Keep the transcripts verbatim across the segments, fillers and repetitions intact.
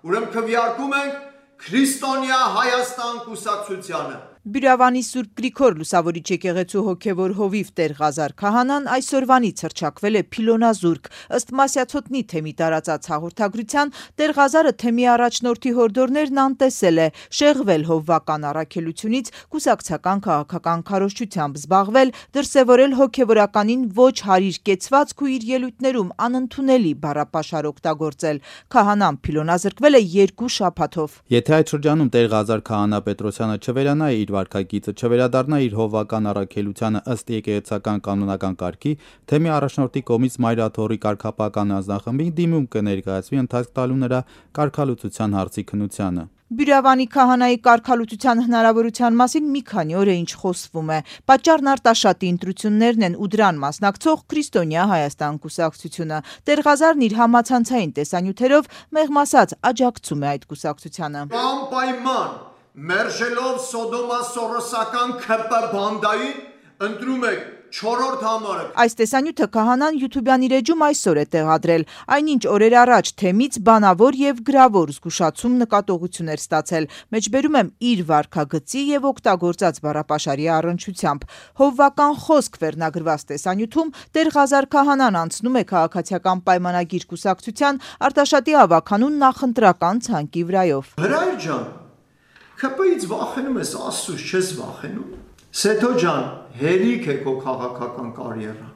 ուրեմն քվեարկում ենք Քրիստոնյա Հայաստան կուսակցությանը։ Բյուրավանի Սուրբ Գրիգոր Լուսավորիչ եկեղեցու հոգևոր հովիվ Տեր Ղազար Քահանան այսօրվանից հռչակվել է Փիլոնազուրկ։ Ըստ Մասյացոտնի թեմի տարածած հաղորդագրության Տեր Ղազարը թեմի առաջնորդի հորդորներն անտեսել է, շեղվել հովվական առաքելությունից, կուսակցական քաղաքական քարոզչությամբ զբաղվել, դրսևորել հոգևորականին ոչ հարիր կեցվածք ու իր ելույթներում անընդունելի բառապաշար օգտագործել։ Քահանան փիլոնազրկվել է երկու շաբաթով։ Եթե այդ շրջանում Տեր Ղազար Քահանա Պետրոսյանը չվերանա իր վարքագիծը, չվերադառնա իր հովվական առաքելությանը ըստ եկեղեցական կանոնական կարգի, թեմի առաջնորդի կողմից Մայրաթոռի կարգապահական անձնախմբին դիմում կներկայացվի ընթացք տալու նրա կարգալուծության հարցի քննությանը։ Բյուրավանի քահանայի կարգալուծության հնարավորության մասին մի քանի օր է ինչ խոսվում է։ Պատճառն արտաշատի ընտրություններն են ու դրան մասնակցող Քրիստոնյա Հայաստան կուսակցությունը։ Տեր Ղազարն իր համացանցային տեսանյութերով մեղմ ասած աջակցում է այդ կուսակցությանը։ Անպայման մերժելով Սոդոմա Սորոսական Ք Պ բանդային ընտրում եք չորրորդ համարը։ Այս տեսանյութը քահանան յութուբյան իր էջում այսօր է տեղադրել, այնինչ օրեր առաջ թեմից բանավոր եւ գրավոր զգուշացում նկատողություն էր ստացել, մեջբերում եմ իր վարքագծի եւ օգտագործած բառապաշարի առնչությամբ։ Հովվական խոսք վերնագրված տեսանյութում Տեր Ղազար Քահանան անցնում է քաղաքացիական պայմանագիր կուսակցության Արտաշատի ավականուն նախընտրական ցանկի վրայով։ Հրայր ջան, Ք Պ-ից վախենում ես, Աստծուց չես վախենում։ Սեթո ջան, հերիք է քո քաղաքական կարիերան։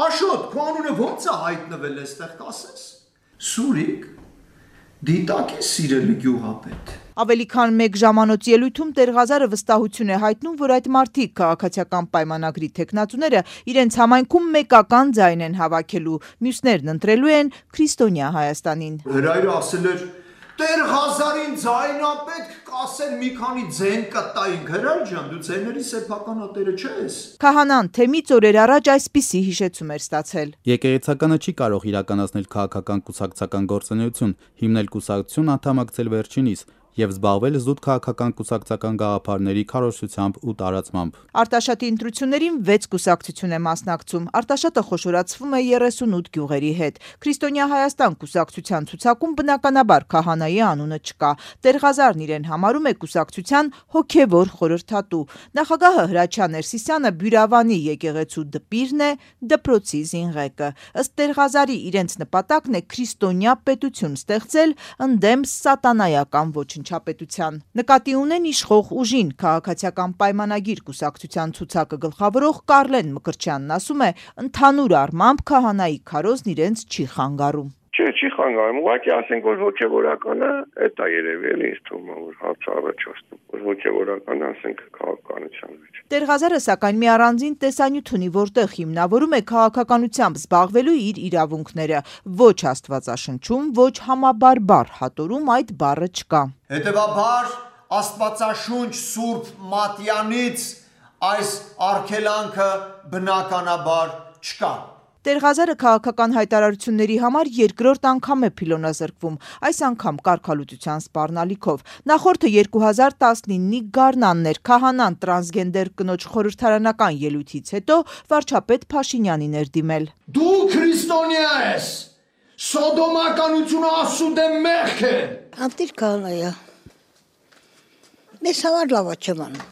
Աշոտ, քո անունը ո՞նց է հայտնվել այստեղ կասես։ Սուրիկ, դիտակի սիրելի գյուղապետ։ Ավելի քան մեկ ժամանոց ելույթում Տեր Ղազարը վստահություն է հայտնում, որ այդ մարդիկ քաղաքացիական պայմանագրի թեկնածուները իրենց համայնքում մեկական ձայն են հավաքելու, մյուսներն ընտրելու են Քրիստոնյա Հայաստանին։ Հրայրը ասել էր Տեր Ղազարին ձայնա պետք կասել մի քանի ձեն կտայինք, Հրայր ջան, դու ձայների սեփականատերը չես։ Քահանան թեմից օրեր առաջ այսպիսի հիշեցում էր ստացել։ Եկեղեցականը չի կարող իրականացնել քաղաքական կուսակցական գործունեություն, հիմնել կուսակցություն, անդամակցել վերջինիս եւ զբաղվել զուտ քաղաքական կուսակցական գաղափարների քարոզչությամբ ու տարածմամբ։ Արտաշատի ընտրություններին վեց կուսակցություն է մասնակցում։ Արտաշատը խոշորացվում է երեսունութ գյուղերի հետ։ Քրիստոնյա Հայաստան կուսակցության ցուցակում բնականաբար քահանայի անունը չկա։ Տեր Ղազարն իրեն համարում է կուսակցության հոգևոր խորհրդատու։ Նախագահը Հրաչյա Ներսիսյանը Բյուրավանի եկեղեցու դպիրն է, դպրոցի զինղեկը։ Ըստ Տեր Ղազարի իրենց նպատակն է քրիստոնյա պետություն ստեղծել ընդդեմ սատանայական ոչնչապետության։ Նկատի ունեն իշխող ուժին քաղաքացիական պայմանագիր կուսակցության ցուցակը գլխավորող Կարլեն Մկրտչյանն ասում է, ընդհանուր առմամբ քահանայի քարոզն իրենց չի խանգարում։ Չէ, չի խանգարում, ուղղակի ասենք, որ հոգևորականը էդ է երևի, էլի ինձ թվում է, որ հարց առաջացնում, որ հոգևորականը ասենք քաղաքականության մեջ։ Տեր Ղազարը սակայն մի առանձին տեսանյութ ունի, որտեղ հիմնավորում է քաղաքականությամբ զբաղվելու իր իրավունքները։ Ոչ Աստվածաշնչում, ոչ համաբարբար հատորում այդ բառը չկա։ Հետևաբար Աստվածաշունչ Սուրբ Մատյանից այս արգելանքը բնականաբար չկա։ Տեր Ղազարը քաղաքական հայտարարությունների համար երկրորդ անգամ է փիլոնազրկվում, այս անգամ կարգալուծության սպառնալիքով։ Նախորդը երկու հազար տասնինի գարնանն էր, քահանան տրանսգենդեր կնոջ խորհրդարանական ելույթից հետո վարչապետ Փաշինյանին էր դիմել։ Դու քրիստոնյա ես, սոդոմականությունը ասուդե մեղք է։ Անտիր քահանայա, մեզ համար լավ չման։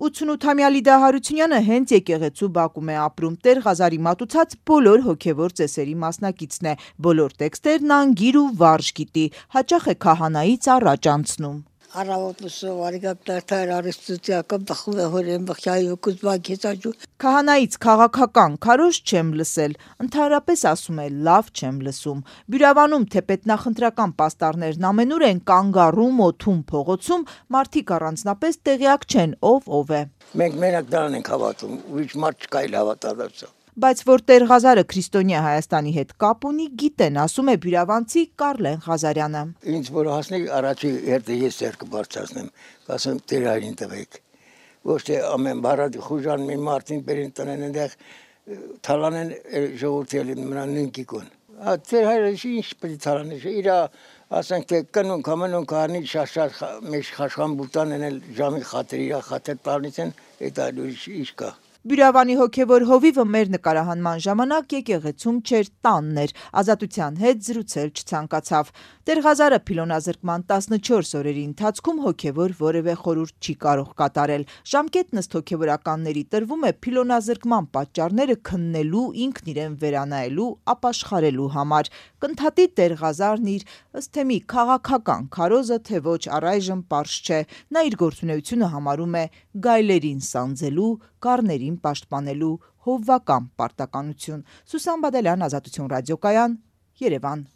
ութսունութամյա Լիդա Հարությունյանը հենց եկեղեցու բակում է ապրում։ Տեր Ղազարի մատուցած բոլոր հոգևոր ծեսերի մասնակիցն է։ Բոլոր տեքստերն անգիր ու վարժ գիտի, հաճախ է քահանայից առաջ անցնում։ Առավոտը արիգապտար արիստուցիական բխում է հորեն բխյայի կուզբակեցաճու։ Քահանայից քաղաքական քարոզ չեմ լսել, ընդհանրապես ասում է լավ չեմ լսում։ Բյուրավանում թեպետ նախընտրական պաստառներն ամենուր են կանգառում օթում փողոցում, մարդիկ առանձնապես տեղյակ չեն ով ով է։ Մենք մենակ դրան ենք հավատում, ուրիշ մարդ չկա իլ հավատալու։ Բայց որ Տեր Ղազարը Քրիստոնյա Հայաստանի հետ կապ ունի, գիտեն, ասում է բյուրավանցի Կարլեն Ղազարյանը։ Ինձ որ հասնի առաջի հերթը ես ձեռքը բարձրացնեմ, ասեմ Տեր հայրին տվեք։ Ոչ թե ամեն բարադի խուժան մի մարդին բերին տնեն այնտեղ թալանեն ժողովրդի նրան նույնքիկուն։ Տեր հայրը ինչ պետք է թալանի, իր ասենք թե կնուն կամենուն կարնի շաշար մեջ խաշխան բուտան են ժամի խաթր իր խաթր տալիս են, այդ այլ ինչ կա։ Բյուրավանի հոգևոր հովիվը մեր նկարահանման ժամանակ եկեղեցում չէր, տանն էր, Ազատության հետ զրուցել չցանկացավ։ Տեր-Ղազարը փիլոնազրկման տասնչորս օրերի ընթացքում հոգևոր որևէ խորհուրդ չի կարող կատարել։ Ժամկետն ըստ հոգևորականների տրվում է փիլոնազրկման պատճառները քննելու, ինքն իրեն վերանայելու, ապաշխարելու համար։ Կընդհատի Տեր-Ղազարն իր ըստ թեմի քաղաքական քարոզը, թե ոչ առայժմ պարզ չէ։ Նա իր գործունեությունը համարում է գայլերին սանձելու, գառներին պաշտպանելու հովվական պարտականություն։ Սուսան Բադալյան, Ազատություն ռադիոկայան, Երևան։